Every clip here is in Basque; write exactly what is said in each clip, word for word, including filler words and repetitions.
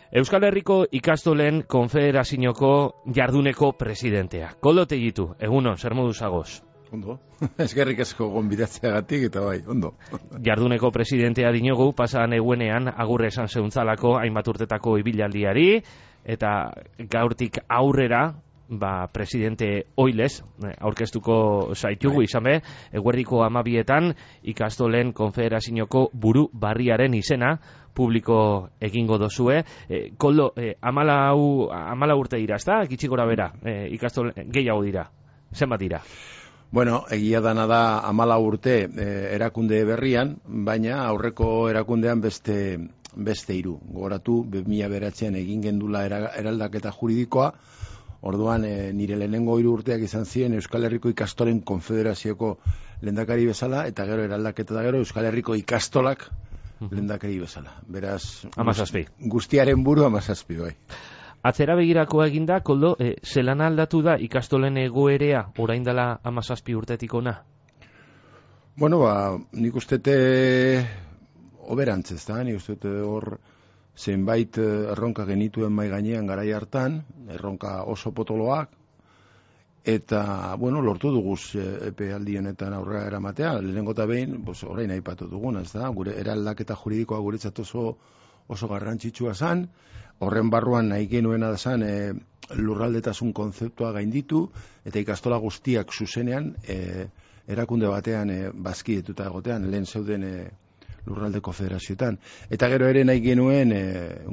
Euskal Herriko ikastolen konfederazioko jarduneko presidentea. Koldo Tegitu, egunon, zer modu zagoz? Ondo, eskerrik asko gonbidatzeagatik eta bai, ondo. Jarduneko presidentea dinogu, pasan egunean agurre esan zeuntzalako hainbat urtetako ibilaldiari, eta gaurtik aurrera, ba, presidente oilez, aurkeztuko zaitugu izan be, eguerdiko amabietan ikastolen konfederazioko buru barriaren izena publiko egingo dozue. E, Koldo, e, amala, amala urte dira, ez da? Gitxi gora bera, e, ikastolen gehiago dira, zenbat dira? Bueno, egia dana da amala urte eh, erakunde berrian, baina aurreko erakundean beste beste hiru. Gogoratu, bi mila bederatzian egin gendula era, eraldaketa juridikoa, orduan eh, nire lehenengo hiru urteak izan ziren Euskal Herriko ikastolen konfederazioko lehendakari bezala, eta gero eraldaketa da gero Euskal Herriko ikastolak lehendakari bezala. Beraz, amazazpi. Guztiaren buru amazazpi, bai. Atzera begirakoa eginda, Koldo, e, zelan aldatu da ikastolen egoerea orain dela amazazpi urtetik ona? Bueno, ba, nik ustete oberantz ez da, nik ustete hor zenbait erronka genituen mai gainean garai hartan, erronka oso potoloak, eta, bueno, lortu duguz epealdi honetan aurrera eramatea, lehenengo eta behin, pues, orain aipatu duguna, ez da, gure eraldaketa juridikoa guretzat oso, oso garrantzitsua zan, horren barruan nahi genuena da zan e, lurraldetasun konzeptua gainditu, eta ikastola guztiak zuzenean e, erakunde batean e, bazkidetuta egotean, lehen zeuden e, lurraldeko federazioetan. Eta gero ere nahi genuen e,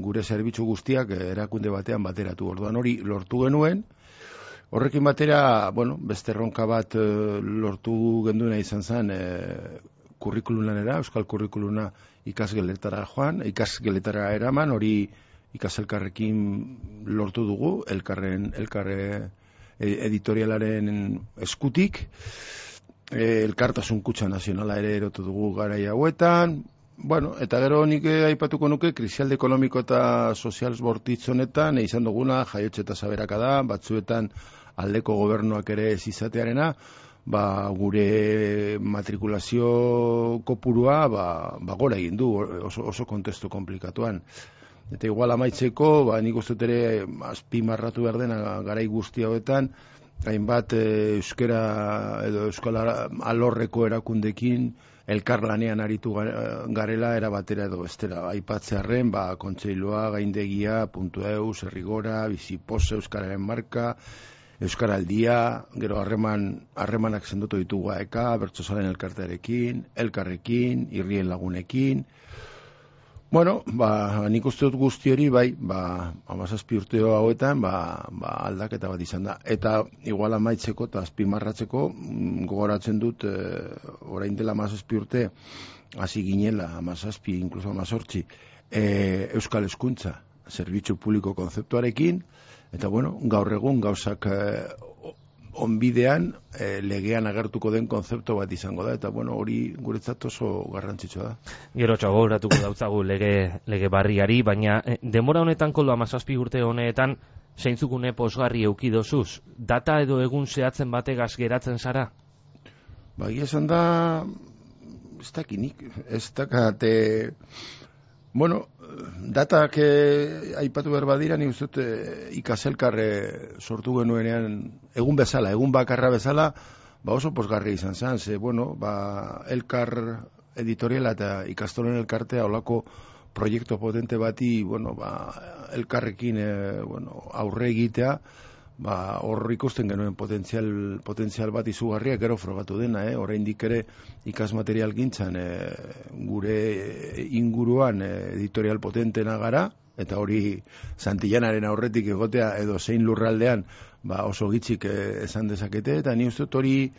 gure zerbitzu guztiak e, erakunde batean bateratu. Orduan hori lortu genuen, horrekin batera, bueno, beste erronka bat e, lortu genduena izan zen e, kurrikululanera, euskal kurrikuluna ikasgeletara joan, ikasgeletara eraman, hori ikaselkarrekin lortu dugu, elkarren, elkarre editorialaren eskutik, e, elkartasun kutxa nazionala ere erotu dugu garai hauetan, bueno, eta gero nik aipatuko nuke, krisialde ekonomiko eta sozial bortitz honetan, izan duguna, jaiotxe eta saberaka da, batzuetan aldeko gobernuak ere ez izatearena, ba, gure matrikulazio kopurua ba, ba gora egin du, oso, oso kontestu komplikatuan. Eta igual amaitzeko, ba, nik uste ere azpimarratu behar dena garai guzti hauetan, hainbat e, euskera edo euskal alorreko erakundekin elkarlanean aritu garela erabatera edo bestera. Aipatzearren, ba, kontseilua, gaindegia, puntu eus, herrigora, bizipose, euskararen marka, euskaraldia, gero harreman harremanak sendotu ditugu eka, bertsozalen elkartearekin, elkarrekin, irrien lagunekin. Bueno, ba, nik uste dut guzti hori, bai, ba, amazazpi urteo hauetan, ba, ba, aldaketa bat izan da. Eta igual amaitzeko eta azpimarratzeko, gogoratzen dut, e, orain dela amazazpi urte, hasi ginela, amazazpi, inkluso amazortzi, e, euskal hezkuntza, zerbitzu publiko konzeptuarekin, eta bueno, gaur egun gauzak e, onbidean e, legean agertuko den konzeptu bat izango da, eta bueno, hori guretzat oso garrantzitsua da. Gero txagoratuko dautzagu lege, lege barriari, baina e, denbora honetan, Koldo, amazazpi urte honetan, zeintzukune posgarri eukidozuz, data edo egun zehatzen bategaz geratzen zara? Ba, esan da, ez dakinik, ez dakate, bueno, datak eh, aipatu behar badira, nik uste eh, ikaselkarre sortu genuenean, egun bezala, egun bakarra bezala, ba oso posgarri izan zen, ze, bueno, ba, elkar editoriala eta ikastolen elkartea olako proiektu potente bati, bueno, ba, elkarrekin eh, bueno, aurre egitea, ba, hor ikusten genuen potentzial, potentzial bat izugarria, gero frogatu dena, eh? Oraindik ere ikasmaterial gintzan e, gure inguruan e, editorial potentena gara, eta hori Santillanaren aurretik egotea edo zein lurraldean ba, oso gitzik e, esan dezakete, eta ni uste hori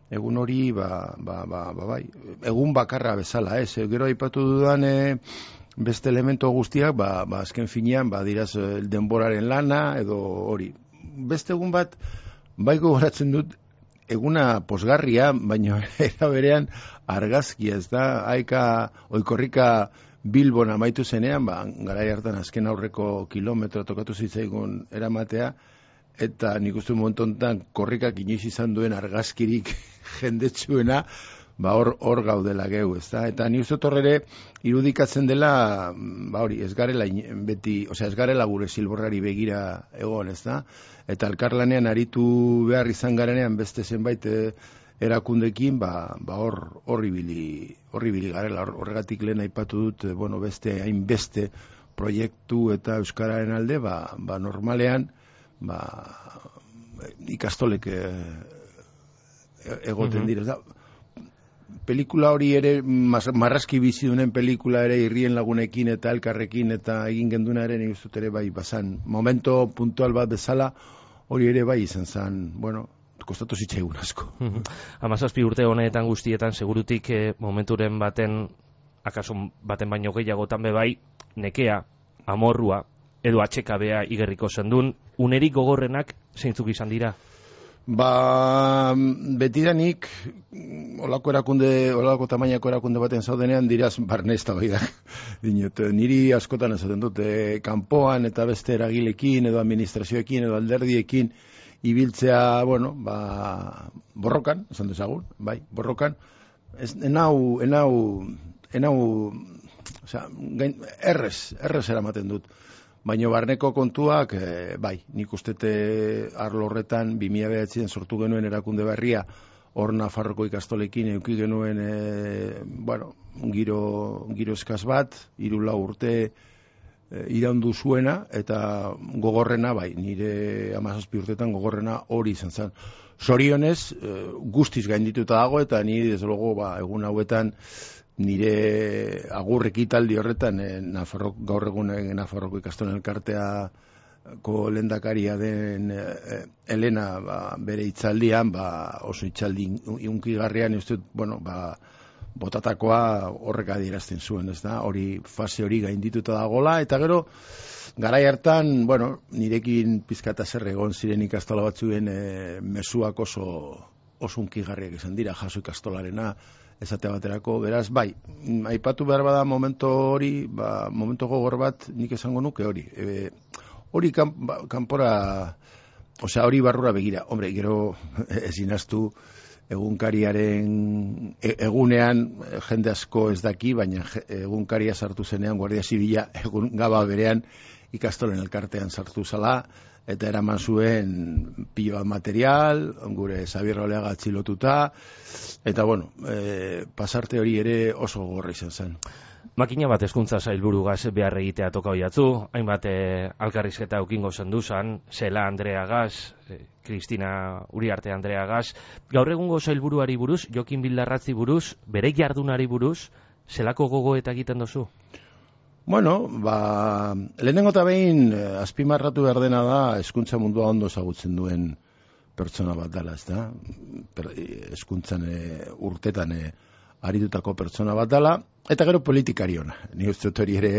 egun hori ba, ba, ba, ba, bai, egun bakarra bezala, ez? Eh? Gero aipatu dudan e, beste elemento guztiak, ba, ba, azken finean, ba, diraz denboraren lana edo hori. Beste egun bat, baiko goratzen dut, eguna posgarria, baina era berean argazkia, ez da, haika oikorrika Bilbon amaitu zenean, ba, garai hartan azken aurreko kilometro tokatu zitzaigun eramatea, eta nik uste momentu honetan korrikak inoiz izan duen argazkirik jendetsuena, ba hor hor gaudela geu, ezta? Eta ni uste ere irudikatzen dela, ba hori, ez garela beti, osea, ez garela gure zilborrari begira egon, ezta? Eta elkarlanean aritu behar izan garenean beste zenbait e, erakundekin, ba ba hor hor ibili, hor ibili garela, horregatik lehen aipatu dut, bueno, beste hainbeste proiektu eta euskararen alde, ba, ba normalean, ba ikastolek e, egoten mm-hmm. dira. Pelikula hori ere, marrazki bizidunen pelikula ere irrien lagunekin eta elkarrekin eta egin genduna ere, nik uste ere bai, bazan, momento puntual bat bezala, hori ere bai izan zen, bueno, kostatu zitzaigun asko. Hamazazpi urte honetan guztietan, segurutik eh, momenturen baten, akaso baten baino gehiagotan bebai, nekea, amorrua, edo atxekabea igerriko zendun, unerik gogorrenak zeintzuk izan dira? Ba, betidanik, olako erakunde, olako tamainako erakunde baten zaudenean, diraz barnezta bai da. Dinot, niri askotan esaten dute, kanpoan eta beste eragilekin, edo administrazioekin, edo alderdiekin, ibiltzea, bueno, ba, borrokan, esan dezagun, bai, borrokan, ez, enau, enau, enau, osea, gain, errez, errez eramaten dut. Baina barneko kontuak, e, bai, nik ustete arlo horretan, bi mila bederatzien sortu genuen erakunde berria, hor Nafarroko ikastolekin eduki genuen, e, bueno, giro, giro eskaz bat, hiru lau urte e, iraundu zuena, eta gogorrena, bai, nire hamazazpi urtetan gogorrena hori izan zen. Zorionez, e, guztiz gaindituta dago, eta nire, desde logo, ba, egun hauetan, nire agurrek italdi horretan, eh, Nafarrok, gaur egun Nafarroko ikastolen elkarteako lehendakaria den eh, Elena, ba, bere itzaldian, ba, oso itzaldi unkigarrian, uste, bueno, ba, botatakoa horrek adierazten zuen, ez da, hori fase hori gaindituta dagola, eta gero, garai hartan, bueno, nirekin pizkata zer egon ziren ikastola batzuen eh, mezuak oso, oso unkigarriak izan dira, jaso ikastolarena, esate baterako, beraz, bai, aipatu behar bada momento hori, ba, momento gogor bat, nik esango nuke hori. E, hori kan, ba, kanpora, osea, hori barrura begira. Hombre, gero ezin astu egunkariaren e, egunean jende asko ez daki, baina egunkaria sartu zenean, Guardia Zibila egun gaba berean ikastolen elkartean sartu zala, eta eraman zuen pilo bat material, gure Xabier Oleaga atxilotuta, eta bueno, e, pasarte hori ere oso gogorra izan zen. Makina bat hezkuntza sailburugaz behar egitea toka hoiatzu, hainbat e, alkarrizketa ukingo zenduzan, Zela Andrea Gaz, e, Kristina Uriarte Andrea Gaz, gaur egungo sailburuari buruz, Jokin Bildarratzi buruz, bere jardunari buruz, zelako gogoeta egiten dozu? Bueno, ba, lehenengo eta behin eh, azpimarratu behar dena da hezkuntza mundua ondo ezagutzen duen pertsona bat dela, ez da? Hezkuntzan eh, urtetan eh, aritutako pertsona bat dela, eta gero politikari ona. Ni uste dut hori ere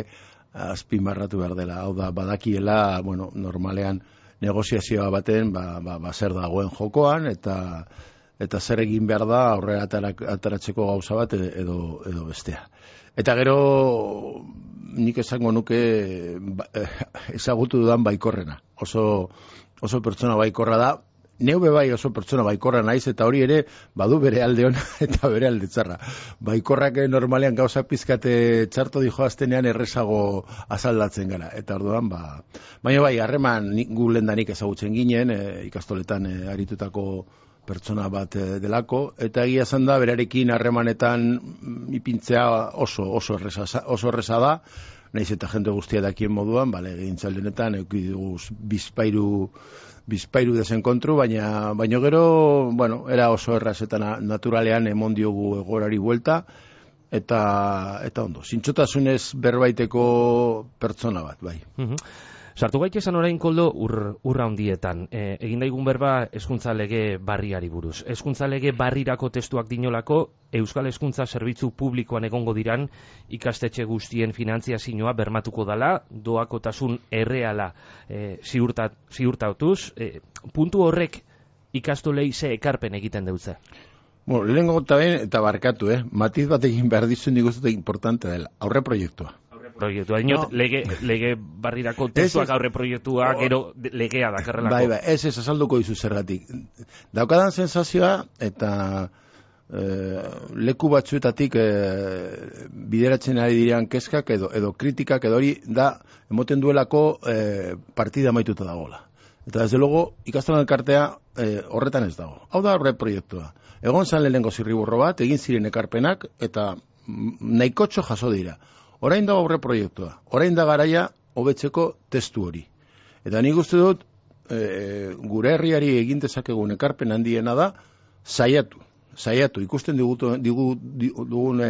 azpimarratu behar dela. Hau da, badakiela, bueno, normalean negoziazioa baten, ba, ba, ba zer dagoen jokoan, eta eta zer egin behar da aurrera ataratzeko gauza bat edo, edo bestea. Eta gero nik esango nuke ba, ezagutu dudan baikorrena. Oso, oso pertsona baikorra da. Neube bai oso pertsona baikorra naiz, eta hori ere badu bere alde ona eta bere alde txarra. Baikorrak normalean gauza pizkate txarto dijo aztenean errezago azaldatzen gara. Eta orduan, ba, baina bai, harreman gu lehendanik ezagutzen ginen, e, ikastoletan e, aritutako pertsona bat delako, eta egia esan da, berarekin harremanetan ipintzea oso, oso, erreza, oso erreza da, nahiz eta jende guztia dakien moduan, bale, gintzaldenetan, eukidugu bizpairu, bizpairu desenkontru, baina, baina gero, bueno, era oso erraz eta naturalean emon diogu egorari buelta, eta, eta ondo, zintxotasunez berbaiteko pertsona bat, bai. Uh-huh. Sartu gaitezen orain koldo ur, urra handietan. E, egin daigun berba hezkuntza lege barriari buruz. Hezkuntza lege barrirako testuak dinolako, Euskal Hezkuntza Zerbitzu Publikoan egongo diran ikastetxe guztien finantziazioa bermatuko dala, doakotasun erreala e, ziurtat, ziurtautuz. E, puntu horrek ikastolei ze ekarpen egiten deutze? Bueno, lehenengo eta ben, eta barkatu, eh? Matiz bat egin behar dizu nik uste importante dela. Aurre proiektua. Proiektua, dinot, no. lege, lege barrirako testuak aurre proiektua, oh. Gero legea dakarrelako. Bai, bai, ez ez azalduko dizu zergatik. Daukadan sensazioa, eta e, leku batzuetatik e, bideratzen ari direan kezkak edo, edo kritikak edo hori da emoten duelako e, partida amaituta dagoela. Eta desde luego ikastolan elkartea e, horretan ez dago. Hau da horre proiektua. Egon zan lehenengo zirriburro bat, egin ziren ekarpenak eta nahikotxo jaso dira. Orain dago horre proiektua. Orain da garaia hobetzeko testu hori. Eta nik uste dut e, gure herriari egin dezakegun ekarpen handiena da saiatu. Saiatu, ikusten digu, digu, dugun e,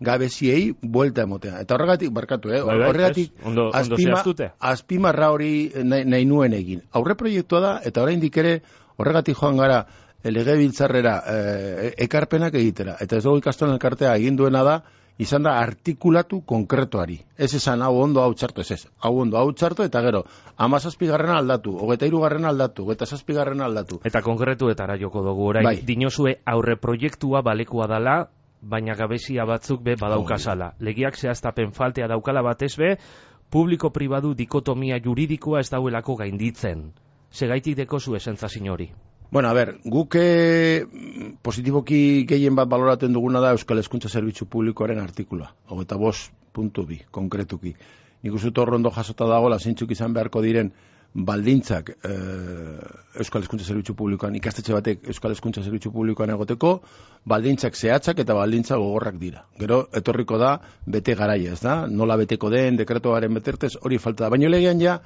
gabeziei buelta emotea. Eta horregatik, barkatu, eh? horregatik ondo, azpima, ondo azpimarra hori nahi, nahi nuen egin. Aurre proiektua da, eta oraindik ere horregatik joan gara legebiltzarrera e, ekarpenak egitera. Eta ez dugu ikastolan elkartea egin duena da, izan da artikulatu konkretuari. Ez esan hau ondo hau txarto, ez ez. Hau ondo hau txarto, eta gero, hamazazpigarrena aldatu, hogeita hirugarrena aldatu, hogeita zazpigarrena aldatu. Eta konkretuetara joko dugu, orain, bai. Dinozue aurre proiektua balekua dala, baina gabezia batzuk be badaukazala. Legiak zehaztapen faltea daukala batez be, publiko-pribadu dikotomia juridikoa ez dauelako gainditzen. Segaitik deko zu esentzazin hori. Bueno, a ver, guk positiboki gehien bat baloraten duguna da Euskal Hezkuntza Zerbitzu Publikoaren artikula, hogeita bost puntu bi, konkretuki. Nik uste torrondo jasota dagoela zeintzuk izan beharko diren baldintzak e, Euskal Hezkuntza Zerbitzu Publikoan, ikastetxe batek Euskal Hezkuntza Zerbitzu Publikoan egoteko, baldintzak zehatzak eta baldintza gogorrak dira. Gero, etorriko da, bete garaia, ez da? Nola beteko den, dekretuaren betertez, hori falta da. Baina legean ja,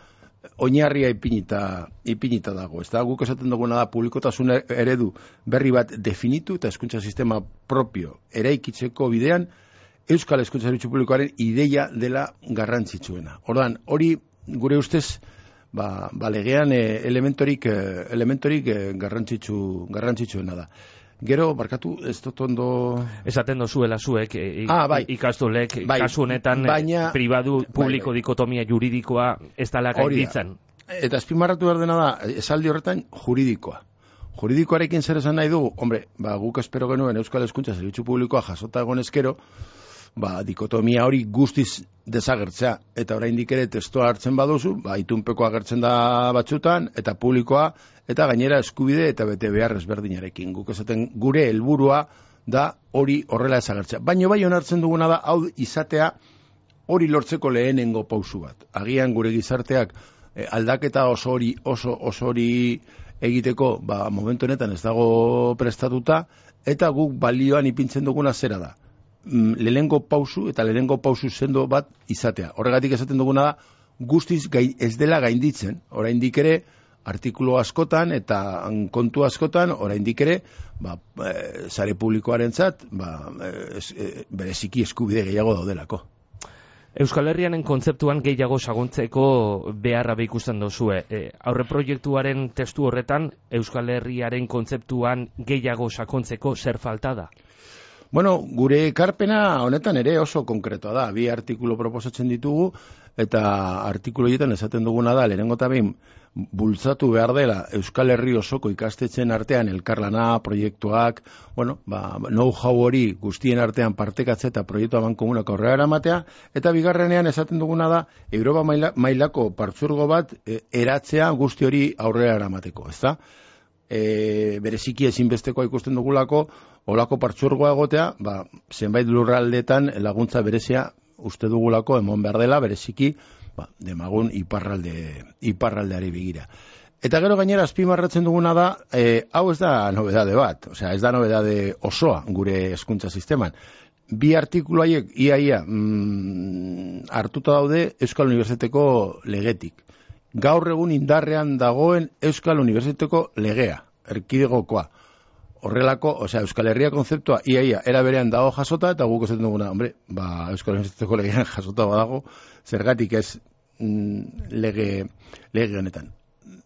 oinarria ipinita, ipinita dago. Ez da, guk esaten duguna da publikotasun eredu berri bat definitu eta hezkuntza sistema propio eraikitzeko bidean Euskal Hezkuntza Zerbitzu Publikoaren ideia dela garrantzitsuena. Ordan, hori gure ustez ba, ba legean eh, elementorik, eh, elementorik eh, garrantzitsu, garrantzitsuena da. Gero, barkatu, ez dut ondo... Esaten dozuela zuek, e, ah, bai. ikastolek, bai. kasu honetan, baina, pribadu, publiko bai, bai. dikotomia juridikoa ez dala gainditzen. Eta azpimarratu behar dena da, esaldi horretan, juridikoa. Juridikoarekin zer esan nahi dugu? Hombre, ba, guk espero genuen Euskal Hezkuntza Zerbitzu Publikoa jasota egon eskero, ba, dikotomia hori guztiz desagertzea. Eta oraindik ere testoa hartzen baduzu, ba, itunpeko agertzen da batzutan, eta publikoa, eta gainera eskubide eta bete behar ezberdinarekin. Guk esaten gure helburua da hori horrela desagertzea. Baina bai onartzen duguna da, hau izatea hori lortzeko lehenengo pausu bat. Agian gure gizarteak eh, aldaketa oso hori, oso, oso hori egiteko, ba, momentu honetan ez dago prestatuta, eta guk balioan ipintzen duguna zera da. Lehenengo pausu eta lehenengo pausu sendo bat izatea. Horregatik esaten duguna da, guztiz gai, ez dela gainditzen, oraindik ere artikulu askotan eta kontu askotan oraindik ere ba, e, sare publikoarentzat ba, e, bereziki eskubide gehiago daudelako. Euskal Herrianen kontzeptuan gehiago sagontzeko beharra ikusten dozue. E, aurre proiektuaren testu horretan Euskal Herriaren kontzeptuan gehiago sakontzeko zer falta da? Bueno, gure ekarpena honetan ere oso konkretoa da. Bi artikulu proposatzen ditugu eta artikulu horietan esaten duguna da lehenengo eta behin bultzatu behar dela Euskal Herri osoko ikastetxeen artean elkarlana, proiektuak, bueno, ba, know-how hori guztien artean partekatzea eta proiektu amankomunak aurrera eramatea, eta bigarrenean esaten duguna da Europa maila, mailako partzuergo bat e, eratzea guzti hori aurrera eramateko, ezta? E, bereziki ezinbestekoa ikusten dugulako olako partzuergoa egotea, ba, zenbait lurraldetan laguntza berezia uste dugulako emon behar dela, bereziki ba, demagun iparralde, iparraldeari begira. Eta gero gainera azpimarratzen duguna da, e, hau ez da nobedade bat, osea, ez da nobedade osoa gure hezkuntza sisteman. Bi artikulu haiek iaia mm, hartuta daude Euskal Unibertsitateko legetik. Gaur egun indarrean dagoen Euskal Unibertsitateko legea, erkidegokoa. Horrelako, osea, Euskal Herria konzeptua iaia era berean dago jasota, eta guk esaten duguna, hombre, ba, Euskal Unibertsitateko legean jasota badago, zergatik ez mm, lege, lege honetan.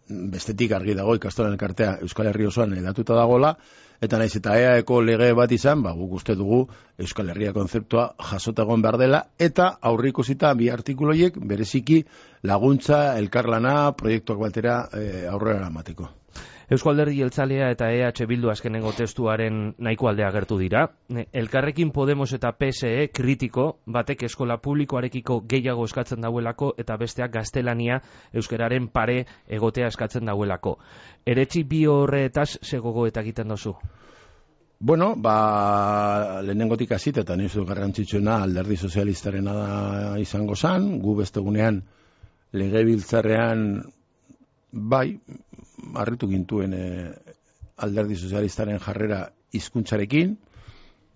Bestetik argi dago ikastolan elkartea Euskal Herri osoan edatuta dagola, eta naiz eta E A eko lege bat izan, ba, guk uste dugu Euskal Herria konzeptua jasota egon behar dela, eta aurrikusita bi artikuloiek bereziki laguntza, elkarlana, proiektuak batera e, aurrera eramateko. Eusko Alderdi Jeltzalea eta E H Bildu azkenengo testuaren nahiko aldea agertu dira. Elkarrekin Podemos eta P S E kritiko, batek eskola publikoarekiko gehiago eskatzen dauelako eta besteak gaztelania euskararen pare egotea eskatzen dauelako. Eretzi bi horretaz ze gogoeta egiten dozu? Bueno, ba, lehenengotik hasita eta nizu garrantzitsuena alderdi sozialistarena da izango zan, gu bestegunean legebiltzarrean bai, harritu gintuen e, alderdi sozialistaren jarrera hizkuntzarekin,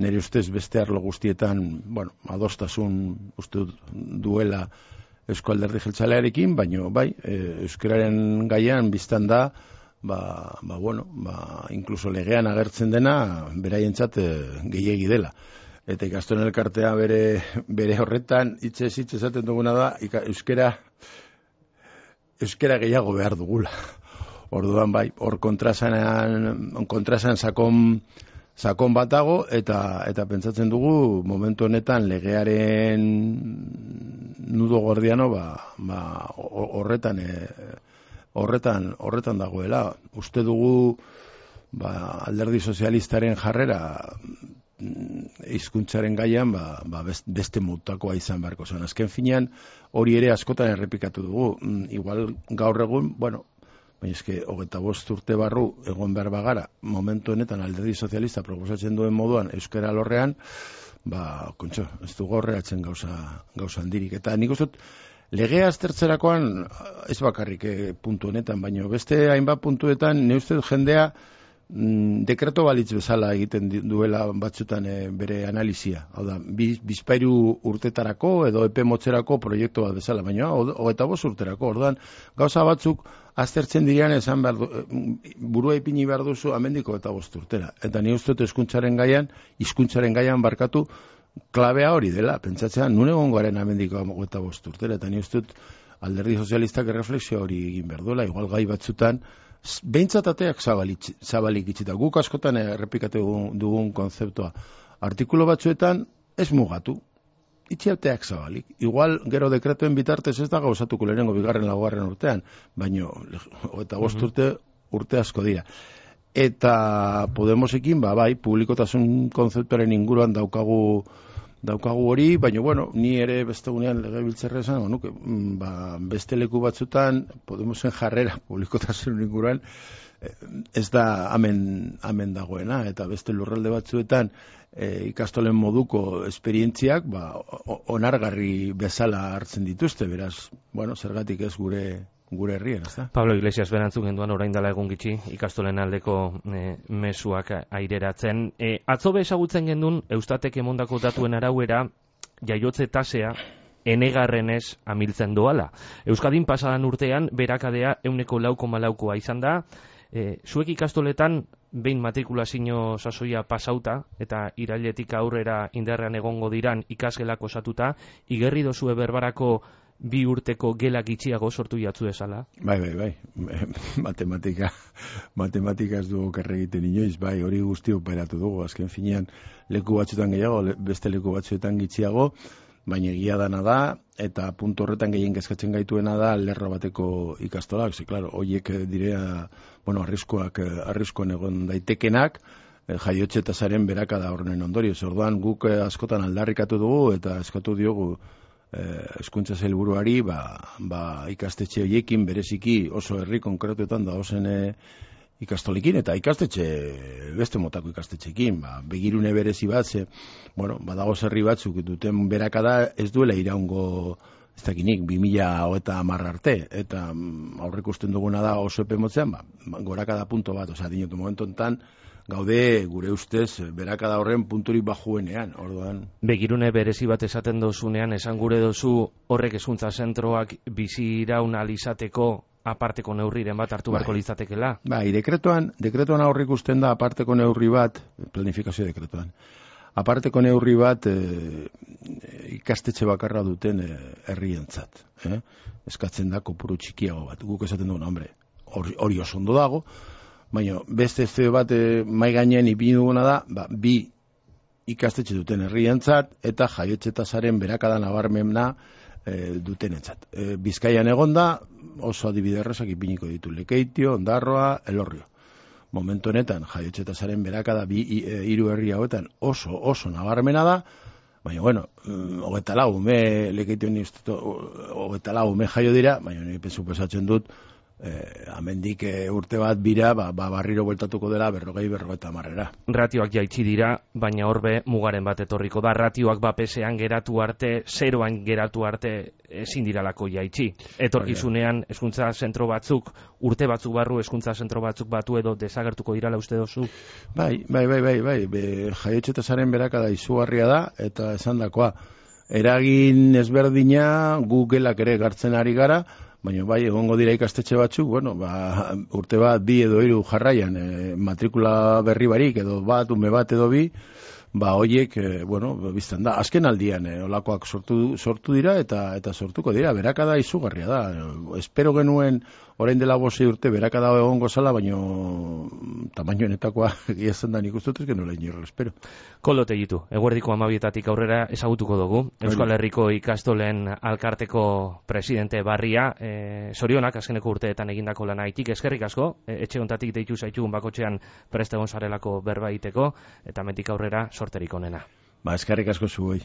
nire ustez beste arlo guztietan, bueno, adostasun uste duela Eusko Alderdi Jeltzalearekin, baino bai, e, euskararen gaian biztan da, ba, ba bueno, ba, inkluso legean agertzen dena, beraientzat e, gehiegi dela. Eta ikastolen elkartea bere, bere horretan, hitzez hitz esaten duguna da, ika, euskara, euskara gehiago behar dugula. Orduan bai, hor kontrasanean, kontrasan sakon, sakon bat dago, eta, eta pentsatzen dugu, momentu honetan legearen nudo gordiano, ba, ba, horretan, e, horretan, horretan dagoela. Uste dugu, ba, alderdi sozialistaren jarrera, hizkuntzaren gaian, ba, ba beste mutakoa izan beharko zen. Azken finean, hori ere askotan errepikatu dugu. Igual gaur egun, bueno, baina eske, hogeita bost urte barru egon behar bagara, momentu honetan alderdi sozialista proposatzen duen moduan euskara lorrean, ba, kontxo, ez dugu horreatzen gauza, gauza handirik. Eta nik uste, legea aztertzerakoan, ez bakarrik eh, puntu honetan, baina beste hainbat puntuetan, ne uste jendea, mm, dekreto balitz bezala egiten duela batzutan e, bere analizia. Hau da, bizpairu urtetarako edo epe motzerako proiektu bat bezala, baina hogeita bost urterako. Orduan, gauza batzuk aztertzen direan esan behar du, burua ipini behar duzu amendiko eta bost urtera. Eta ni uste dut hizkuntzaren gaian, hizkuntzaren gaian barkatu, klabea hori dela, pentsatzean, nun egon garen amendiko eta bost urtera. Eta ni uste dut alderdi sozialistak erreflexio hori egin behar duela, igual gai batzutan, behintzat ateak zabalik, zabalik itxita. Guk askotan errepikatu dugun, dugun konzeptua. Artikulo batzuetan ez mugatu. Itxiateak zabalik. Igual gero dekretuen bitartez ez da gauzatuko lehenengo bigarren laugarren urtean, baino eta bost urte urte asko dira. Eta Podemosekin, ba, bai, publikotasun konzeptuaren inguruan daukagu daukagu hori, baina, bueno, ni ere bestegunean legebiltzarra esan, nuke, ba, beste leku batzutan, Podemosen jarrera publikotasun inguruan, ez da amen, amen dagoena, eta beste lurralde batzuetan e, ikastolen moduko esperientziak, ba, onargarri bezala hartzen dituzte, beraz, bueno, zergatik ez gure gure herrien, ez da? Pablo Iglesias berantzuk genduan orain dela egun gitxi ikastolen aldeko e, mezuak aireratzen. E, atzo ezagutzen gendun Eustatek emondako datuen arauera jaiotze tasea enegarrenez amiltzen doala. Euskadin pasadan urtean berakadea euneko lau koma laukoa izan da. E, zuek ikastoletan behin matrikulazio sasoia pasauta eta irailetik aurrera indarrean egongo diran ikasgelak osatuta, igerri dozue berbarako bi urteko gelak itxiago sortu jatzu esala? Bai, bai, bai. Matematika, matematika ez dugu kerre egiten inoiz, bai, hori guzti operatu dugu. Azken finean leku batzuetan gehiago, beste leku batzuetan gitxiago, baina egia dana da, eta puntu horretan gehien kezkatzen gaituena da lerro bateko ikastolak. Ze, klaro, horiek direa, bueno, arriskoak, arriskoan egon daitekenak, jaiotze tasaren berakada horren ondorioz. Orduan guk askotan aldarrikatu dugu eta eskatu diogu hezkuntza sailburuari, ba, ba, ikastetxe horiekin bereziki oso herri konkretuetan da ozen e, ikastolekin eta ikastetxe beste motako ikastetxekin, ba, begirune berezi bat, ze, bueno, badago herri batzuk duten berakada ez duela iraungo ez dakinik, bi mila hogeita hamar arte, eta aurrek usten duguna da oso epe motzean, ba, gorakada punto bat, oza, dinotu momentu enten, gaude gure ustez berakada horren punturik bajuenean, orduan. Begirune berezi bat esaten dozunean, esan gure dozu horrek hezkuntza zentroak bizi iraun alizateko aparteko neurriren bat hartu beharko litzatekela. Bai, dekretuan, dekretuan aurrik usten da aparteko neurri bat, planifikazio dekretuan. Aparteko neurri bat e, ikastetxe bakarra duten herrientzat, eh? Eskatzen da kopuru txikiago bat. Guk esaten duen, hombre, hori, hori oso ondo dago, baina beste ez bat e, mai gainean ipini duguna da, ba, bi ikastetxe duten herrientzat eta jaiotze tasaren berakada nabarmena e, dutenentzat. E, Bizkaian egonda oso adibide errazak ipiniko ditu, Lekeitio, Ondarroa, Elorrio. Momentu honetan jaiotze tasaren berakada bi e, hiru herri hauetan oso oso nabarmena da, baina bueno, hogeita lau ume Lekeitio ni hogeita lau ume jaio dira, baina ni pensu pesatzen dut eh, amendik eh, urte bat bira, ba, ba, barriro bueltatuko dela berrogei berrogeita hamarrera. Ratioak jaitsi dira, baina horbe mugaren bat etorriko da. Ratioak bapesean geratu arte, zeroan geratu arte ezin diralako jaitsi. Etorkizunean hezkuntza zentro batzuk, urte batzuk barru hezkuntza zentro batzuk batu edo desagertuko dirala uste dozu? Bai, bai, bai, bai, bai. Jaiotxetasaren berakada izugarria da, eta esandakoa, eragin ezberdina gu gelak ere gartzen ari gara, baina bai, egongo dira ikastetxe batzuk, bueno, ba, urte bat, bi edo hiru jarraian, e, matrikula berri barik, edo bat, ume bat edo bi, ba, hoiek, e, bueno, biztan da, azken aldian, e, olakoak sortu, sortu dira, eta eta sortuko dira, berakada izugarria da. Espero genuen, orain dela bosi urte, berakada egongo zala, baina tamainoenetakoa egia zen da nik uste dut, nola inorro, espero. Kolote ditu, eguerdiko amabietatik aurrera ezagutuko dugu. Euskal Herriko ikastolen alkarteko presidente barria, e, zorionak azkeneko urteetan egindako lanaitik, eskerrik asko, e, etxe hontatik deitu zaitugun bakotxean preste gonzarelako berba egiteko, eta mentik aurrera sorterik onena. Ba, eskerrik asko zuei.